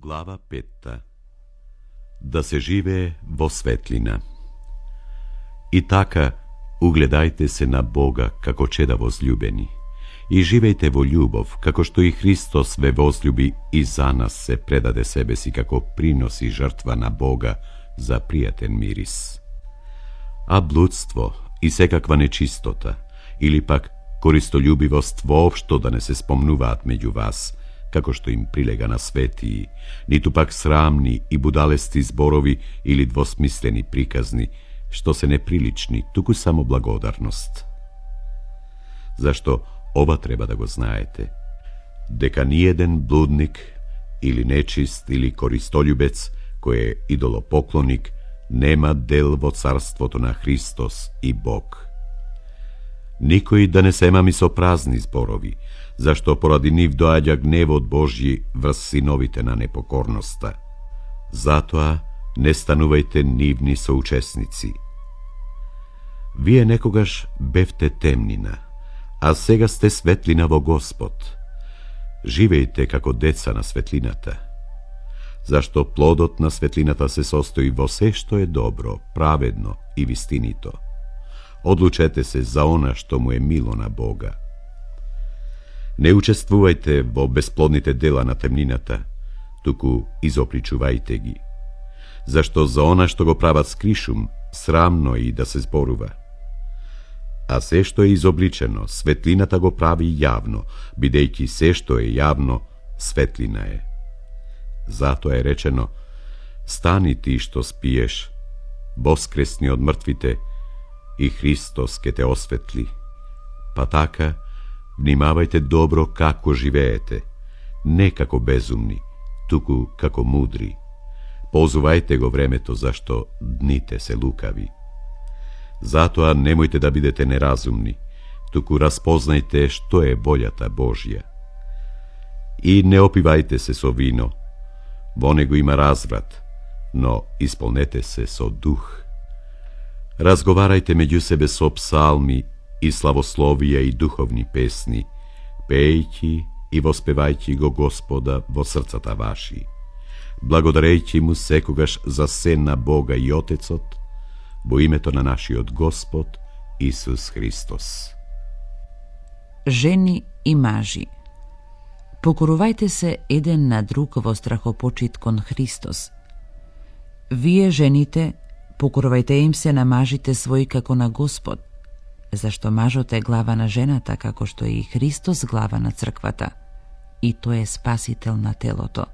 Глава 5. Да се живее во светлина. И така, угледајте се на Бога како чеда возљубени и живејте во љубов, како што и Христос ве возљуби и за нас се предаде себе си како принос и жртва на Бога за пријатен мирис. А блудство и секаква нечистота или пак користољубивост воопшто да не се спомнуваат меѓу вас, како што им прилега на светии, ниту пак срамни и будалести зборови или двосмислени приказни, што се неприлични, туку само благодарност. Зашто ова треба да го знаете, дека ниеден блудник или нечист или користољубец кој е идолопоклоник нема дел во царството на Христос и Бог. Никој да не се мами со празни зборови, зашто поради нив доаѓа гневот Божји врз синовите на непокорноста. Затоа не станувајте нивни соучесници. Вие некогаш бевте темнина, а сега сте светлина во Господ. Живејте како деца на светлината, зашто плодот на светлината се состои во се што е добро, праведно и вистинито. Одлучете се за она што му е мило на Бога. Не учествувајте во бесплодните дела на темнината, туку изопричувајте ги, зашто за она што го прават скришум, срамно и да се зборува. А се што е изобличено, светлината го прави јавно, бидејќи се што е јавно, светлина е. Затоа е речено: стани ти што спиеш, воскресни од мртвите, и Христос ке те осветли. Па така, внимавајте добро како живеете, не како безумни, туку како мудри. Позувајте го времето, зашто дните се лукави. Затоа немојте да бидете неразумни, туку распознајте што е волјата Божја. И не опивајте се со вино, во него има разврат, но исполнете се со дух. Разговарајте меѓу себе со псалми и славословија и духовни песни, пејќи и воспевајќи го Господа во срцата ваши, благодарејќи му секогаш за се на Бога и Отецот, во името на нашиот Господ Исус Христос. Жени и мажи, покорувајте се еден на друг во страхопочит кон Христос. Вие, жените, покорувајте им се на мажите своји како на Господ, зашто мажот е глава на жената, како што е и Христос глава на црквата, и тој е спасител на телото.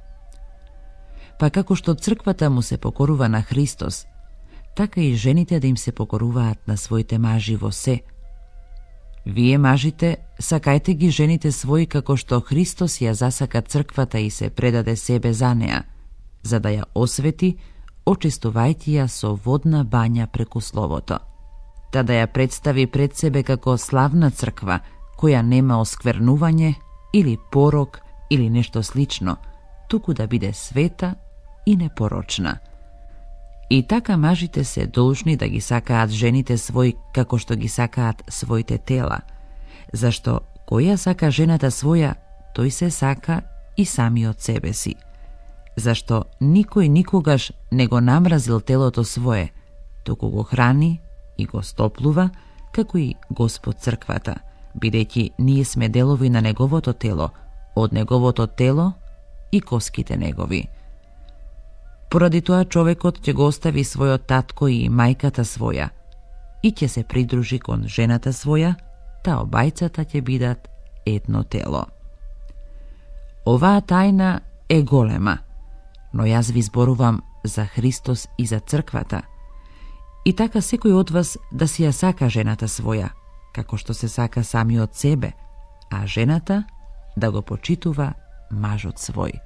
Па како што црквата му се покорува на Христос, така и жените да им се покоруваат на своите мажи во се. Вие, мажите, сакајте ги жените своји како што Христос ја засака црквата и се предаде себе за неа, за да ја освети, очистувајќи ја со водна бања преку Словото, та да ја представи пред себе како славна црква, која нема осквернување или порок или нешто слично, туку да биде света и непорочна. И така мажите се должни да ги сакаат жените своји како што ги сакаат своите тела, зашто која сака жената своја, тој се сака и самиот себе си. Зашто никој никогаш не го намразил телото свое, туку го храни и го стоплува, како и Господ црквата, бидејќи ние сме делови на неговото тело, од неговото тело и коските негови. Поради тоа човекот ќе го остави својот татко и мајката своја и ќе се придружи кон жената своја, та обајцата ќе бидат едно тело. Оваа тајна е голема, но јас ви зборувам за Христос и за црквата. И така секој од вас да си ја сака жената своја, како што се сака самиот себе, а жената да го почитува мажот свој.